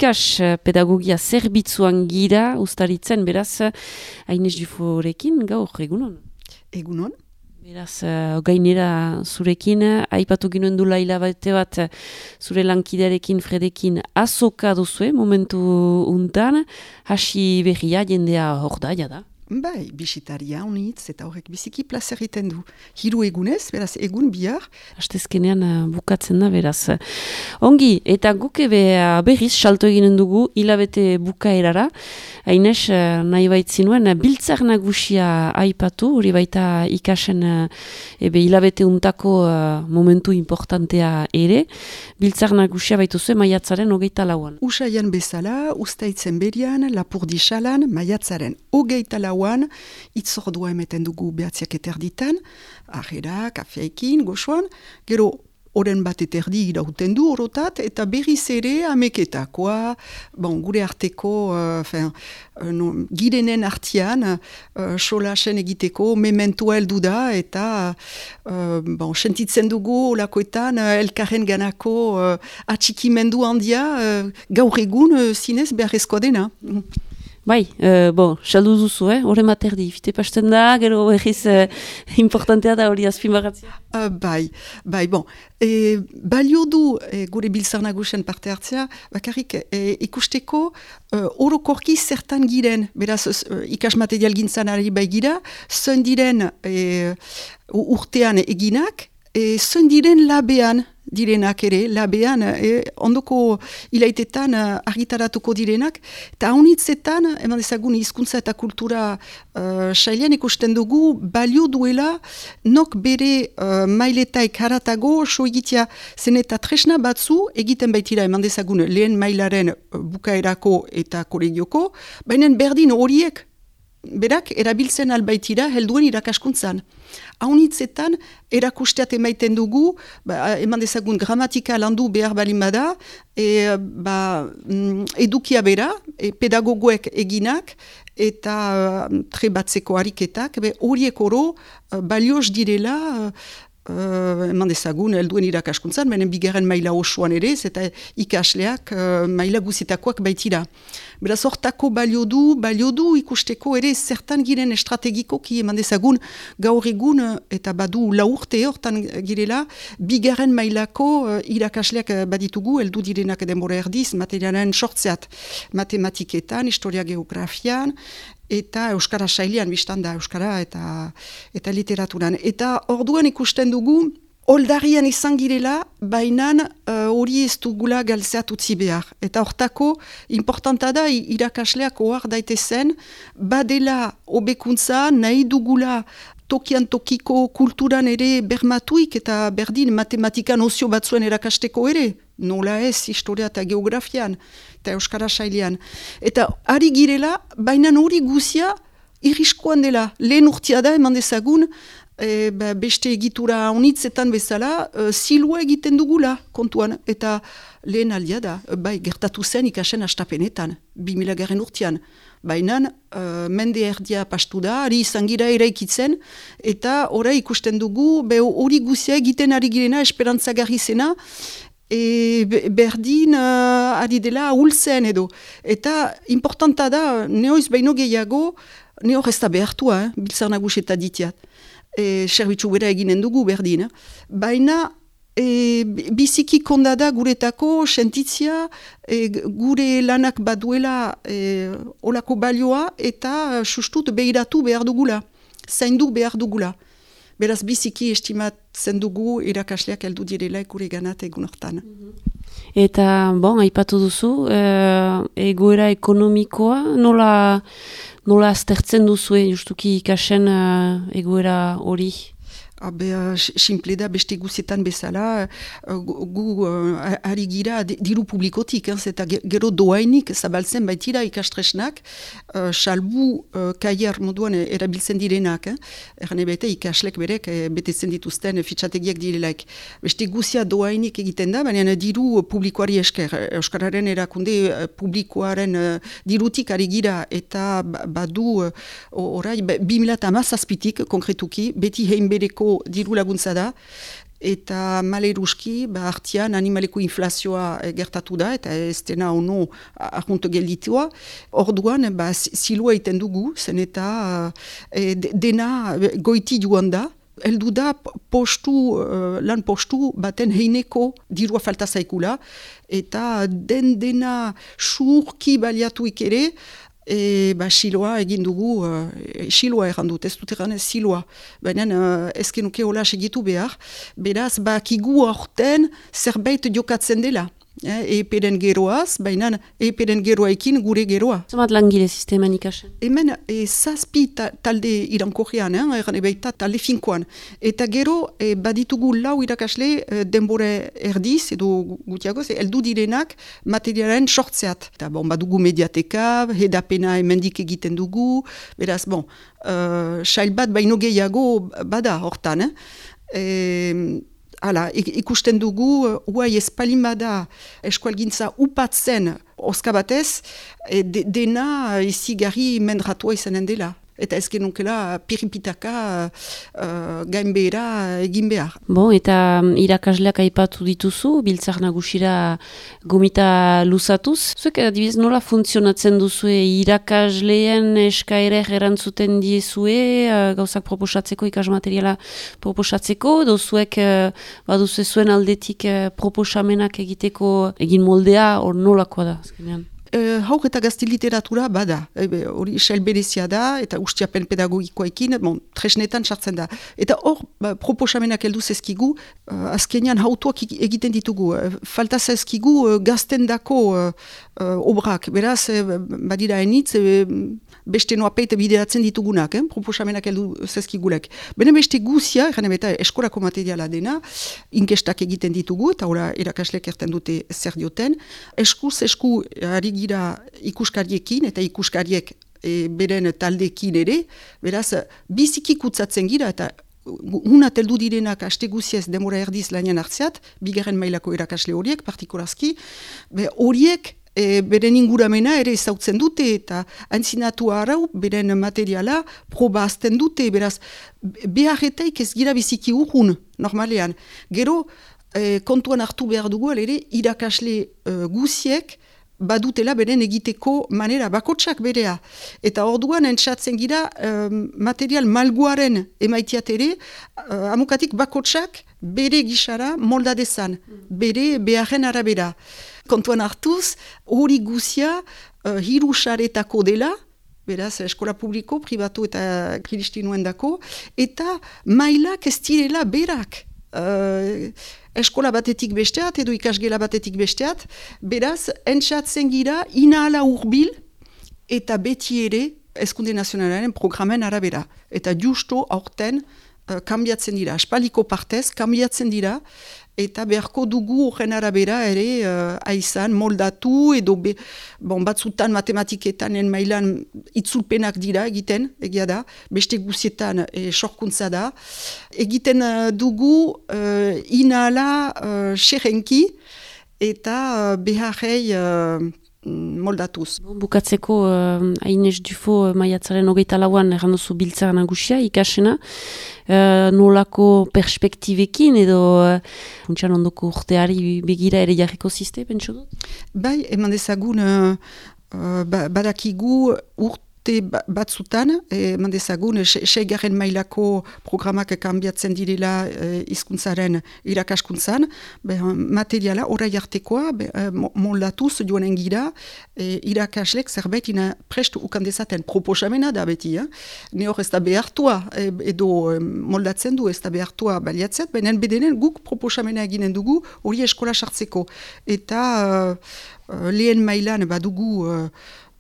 ikas pedagogia zerbitzuan gira ustaritzen, beraz, Aines Duforekin gaur, egunon? Egunon. Beraz, gainera zurekin, aipatu ginen dula hilabete bat zure lankidearekin Fredekin azoka duzue, momentu untan, hasi berria jendea hor da. Bai, bisitaria honitz eta horrek biziki plazer egiten du. 3 egunez, beraz, egun bihar. Hastezkenean bukatzen da, beraz. Ongi, eta guk berriz salto eginen dugu hilabete bukaerara. Aines, nahi baitzinuen, biltzar nagusia aipatu, hori baita ikasen hilabete untako momentu importantea ere. Biltzar nagusia baituzue maiatzaren 24an. Usaian bezala, ustaitzen berian, Lapurdi Salan, maiatzaren 24an, itzordua emeten dugu 9:30, ahera, kafeekin, goxoan, gero oren bat eterdi irauten du orotat, eta berriz ere ameketakoa, gure arteko, girenen artian, solasen egiteko, mementua heldu da, eta sentitzen dugu olakoetan, elkarren ganako atxikimendu handia, gaur egun zinez beharrezkoa dena. Bai, saldu duzu, horren materdi, fite pasten da, gero egiz importantea da hori azpimarratzea. Bai, balio du gure biltzar nagusen parte hartzea, bakarrik ikusteko orokorki zertan giren, beraz ikas material gintzan ari bai gira, zen diren urtean eginak, zen diren labean direnak ere, labean, ondoko ilaitetan argitaratuko direnak, eta haunitzetan, eman dezagun hizkuntza eta kultura sailean ikusten dugu, balio duela, nok bere mailetaik haratago, so egitea zen eta tresna batzu, egiten baitira eman dezagun lehen mailaren bukaerako eta kolegioko, baina berdin horiek, berak erabiltzen albaitira helduen irakaskuntzan. Haunitzetan erakusteat emaiten dugu, eman dezagun gramatika landu behar balimada, edukia bera, pedagogoek eginak, eta trebatzeko ariketak, horiek oro balioz direla, eman dezagun helduen irakaskuntzan, benen bigarren maila osoan ere, eta ikasleak maila guzitakoak baitira. Beraz, hortako balio du ikusteko ere zertan giren estrategikoki eman dezagun gaur egun eta badu 4 urte hortan girela bigarren mailako irakasleak baditugu, heldu direnak denbora erdiz, materialen sortzeat matematiketan, historia geografian, eta euskara sailean biztan da, euskara eta literaturan. Eta orduan ikusten dugu, oldarian izan girela, bainan hori ez dugula galtzeat utzi behar. Eta hortako, importanta da, irakasleak ohar daitezen, badela hobekuntza nahi dugula tokian tokiko kulturan ere bermatuik eta berdin matematikan ozio batzuen erakasteko ere. Nola ez, historia eta geografian, eta euskara sailean. Eta ari girela, bainan hori guzia irriskoan dela. Lehen urtia da, eman dezagun, beste egitura honitzetan bezala, zilua egiten dugula kontuan, eta lehen aldia da, gertatu zen ikasen astapenetan, 2000 urtean. Baina mende erdia pastu da, ari izan gira eraikitzen, eta ora ikusten dugu, hori guzia egiten ari girena, esperantzagarri zena, berdin ari dela ahultzen edo. Eta importanta da, neoiz baino gehiago, nehor ez da behartua, biltzar nagus eta ditiat. Serbitzu bera eginen dugu berdin. Baina biziki kondada guretako sentitzia gure lanak baduela olako balioa eta sustut behiratu behar dugula, zaindu behar dugula. Beraz biziki estimatzen dugu irakasleak heldu direla gure ganat egun hortan. Eta, aipatu duzu, egoera ekonomikoa, nola aztertzen duzu, justuki ikasen egoera hori? Simple da, beste guzietan bezala, gu ari gira diru publikotik, eta gero doainik zabaltzen baitira ikastresnak, salbu kaier moduan erabiltzen direnak, erane bete ikaslek berek betetzen dituzten fitxategiak direlaik. Beste guzia doainik egiten da, baina diru publikoari esker, Euskararen erakunde publikoaren dirutik ari gira, eta badu orai 2017 konkretuki, beti hein bereko diru laguntza da, eta maleruski, artian animaleko inflazioa gertatu da, eta ez dena ono ahuntu gelditua. Orduan, silua iten dugu, zen eta dena goiti joan da, heldu da lan postu baten heineko dirua falta zaikula, eta dena surki baliatuik ere, siloa egin dugu, siloa errandut, ez dut erran siloa, baina ezkenuke hola segitu behar, beraz, kigu aurten zerbait jokatzen dela. Eperen geroaz, baina eperen geroaekin gure geroa. Zamat langile sisteman ikasen? Hemen zazpi talde irankorrean, erran ebaita talde finkoan. Eta gero baditugu lau irakasle denbora erdiz, edo gutiagoz, heldu direnak materialen sortzeat. Eta badugu mediateka, hedapena emendik egiten dugu, beraz, sail bat baino gehiago bada hortan. Ikusten dugu, huai espalimada eskualgintza upatzen oska batez, dena izigarri mendratua izanen dela. Eta ez genunkela piripitaka gainbehera egin behar. Eta irakasleak aipatu dituzu, Biltzar Nagusira gomita luzatuz. Zuek, adibidez, nola funtzionatzen duzue irakasleen eskaerer erantzuten diezue, gauzak proposatzeko, ikasmateriala proposatzeko, edo zuek baduzue zuen aldetik proposamenak egiteko egin moldea, hor nolakoa da, azkenean? Haur eta gazte literatura bada, hori sail berezia da, eta ustiapen pedagogikoekin, tresnetan sartzen da. Eta hor, proposamenak heldu zezkigu, azkenean hautuak egiten ditugu. Falta zezkigu gazten dako obrak, beraz, badira enitz, beste noapeit bideratzen ditugunak, proposamenak heldu zezkigulek. Bene beste guzia, eta eskolako materiala dena, inkestak egiten ditugu, eta ora erakaslek erten dute zer dioten. Eskuz esku ari gira ikuskariekin, eta ikuskariek beren taldekin ere, beraz, biziki kutsatzen gira, eta hunat heldu direnak aste guziez demora erdiz lanian hartzeat, bigarren mailako erakasle horiek, partikularski, horiek beren inguramena ere ezautzen dute, eta antzinatu arau beren materiala proba azten dute, beraz, beharretaik ez gira biziki urrun, normalean. Gero, kontuan hartu behar dugu, ere, irakasle guziek, badutela beren egiteko manera bakotsak berea. Eta orduan entzatzen gira material malguaren emaitiat ere, amukatik bakotsak bere gisara molda dezan, bere beharren arabera. Kontuan hartuz, hori guzia hirusaretako dela, beraz, eskola publiko, pribatu eta kristinuen dako, eta mailak ez direla berak. Eskola batetik besteat, edo ikasgela batetik besteat, beraz, entzatzen gira inahala urbil eta beti ere Hezkunde Nazionalaren programen arabera. Eta justo aurten kambiatzen dira, aspaldiko partez kambiatzen dira, eta beharko dugu horren arabera ere aizan moldatu, edo batzutan matematiketan mailan itzulpenak dira egiten, egia da, beste guzietan sorkuntza da. Egiten dugu inala xerrenki eta beharrei moldatuz. Bukatzeko Aines Dufo maiatzaren 24an erranduzu Biltzar Nagusia ikasena, nolako perspektibekin edo funtsan ondoko urteari begira ere jarriko ziste, pentsu dut? Bai, eman dezagun badakigu urte batzutan, eman dezagun, 6. mailako programak kanbiatzen direla hizkuntzaren irakaskuntzan, materiala orai artekoa moldatuz joanen gira, irakaslek zerbait prest ukandezaten proposamena da beti. Ne hor ez da behartua, edo moldatzen du ez da behartua baliatzet, baina bedenen guk proposamena eginen dugu hori eskola sartzeko. Eta lehen mailan badugu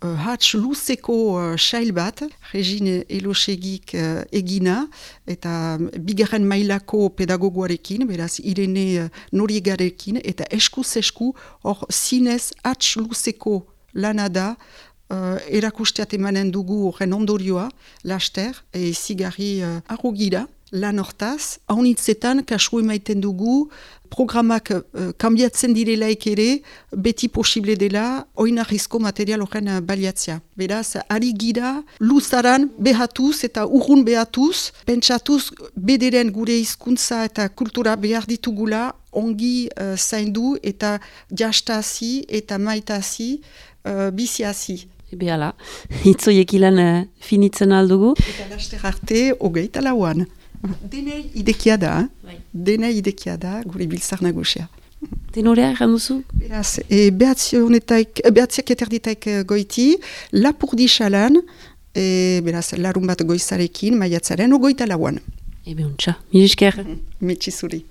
hatz luzeko sail bat, Regine Elosegik egina, eta bigarren mailako pedagogoarekin, beraz Irene Noriegarekin, eta eskuz-esku hor zinez hatz luzeko lanada erakusteat emanen dugu horren ondorioa, laster, zigarri arrogira, lan hortaz, haunitzetan kasu emaiten dugu, programak kanbiatzen direlaik ere, beti posible dela, oinarrizko material horren baliatzea. Beraz, ari gira, luzaran behatuz eta urrun behatuz, pentsatuz bederen gure hizkuntza eta kultura behar ditugula, ongi zaindu eta jastazi eta maitazi, biziazi. Behala, hitzoiek ilan finitzen aldugu. Eta laster arte, 24an. Denei idekia da, denei idekia da, gure biltzar nagusia. Tenorea, erran duzu? Beraz, behatziak eterditaik goiti, lapurdi xalan, beraz, larun bat goizarekin, maiatzaren, 24an. Ebe untxa, mil esker. Metxizuri.